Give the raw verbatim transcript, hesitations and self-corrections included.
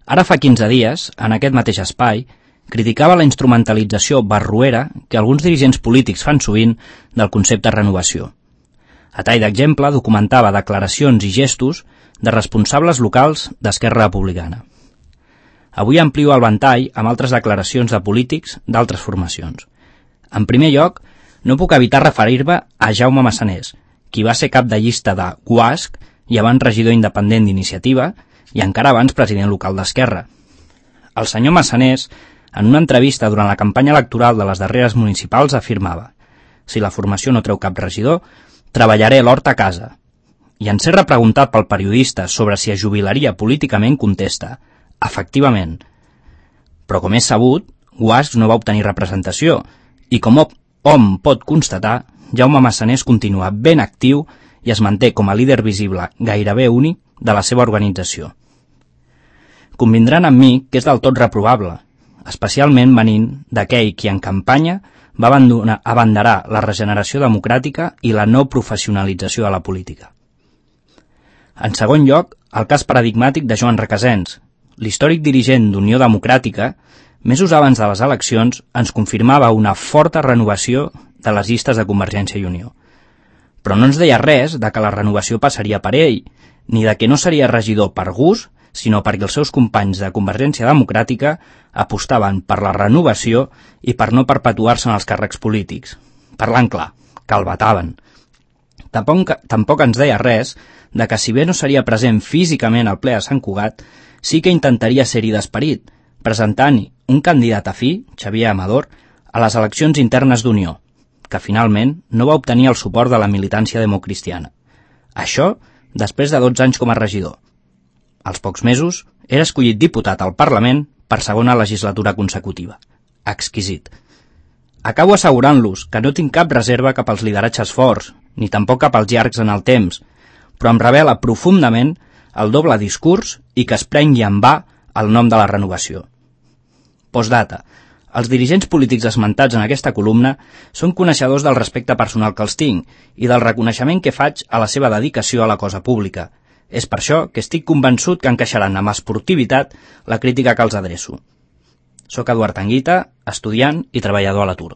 Ara fa quinze dies, en aquest mateix espai, criticava la instrumentalització barroera que alguns dirigents polítics fan sovint del concepte renovació. A tall d'exemple, documentava declaracions i gestos de responsables locals d'Esquerra Republicana. Avui amplio el ventall amb altres declaracions de polítics d'altres formacions. En primer lloc, no puc evitar referir-me a Jaume Massanés, qui va ser cap de llista de U A S C i abans regidor independent d'Iniciativa i encara abans president local d'Esquerra. El senyor Massanés, en una entrevista durant la campanya electoral de les darreres municipals, afirmava: «Si la formació no treu cap regidor, treballaré l'hort a casa». I en ser repreguntat pel periodista sobre si es jubilaria políticament, contesta: «Efectivament». Però com és sabut, U A S C no va obtenir representació i com hom pot constatar, Jaume Massanés continua ben actiu i es manté com a líder visible gairebé únic de la seva organització. Convindran amb mi que és del tot reprovable, especialment venint d'aquell qui en campanya va abandonar, abanderar la regeneració democràtica i la no professionalització de la política. En segon lloc, el cas paradigmàtic de Joan Requesens. L'històric dirigent d'Unió Democràtica, mesos abans de les eleccions, ens confirmava una forta renovació de les llistes de Convergència i Unió. Però no ens deia res de que la renovació passaria per ell, ni de que no seria regidor per gust, sinó perquè els seus companys de Convergència Democràtica apostaven per la renovació i per no perpetuar-se en els càrrecs polítics. Parlant clar, que el vetaven. Tampoc, tampoc ens deia res de que si bé no seria present físicament al ple de Sant Cugat, sí que intentaria ser-hi d'esperit, presentant-hi un candidat afí, Xavier Amador, a les eleccions internes d'Unió, que finalment no va obtenir el suport de la militància democristiana. Això després de dotze anys com a regidor. Als pocs mesos, era escollit diputat al Parlament per segona legislatura consecutiva. Exquisit. Acabo assegurant-los que no tinc cap reserva cap als lideratges forts, ni tampoc cap als llargs en el temps, però em revela profundament el doble discurs i que es prengui en va el nom de la renovació. Postdata. Els dirigents polítics esmentats en aquesta columna són coneixedors del respecte personal que els tinc i del reconeixement que faig a la seva dedicació a la cosa pública. És per això que estic convençut que encaixaran amb esportivitat la crítica que els adreço. Soc Eduard Anguita, estudiant i treballador a l'atur.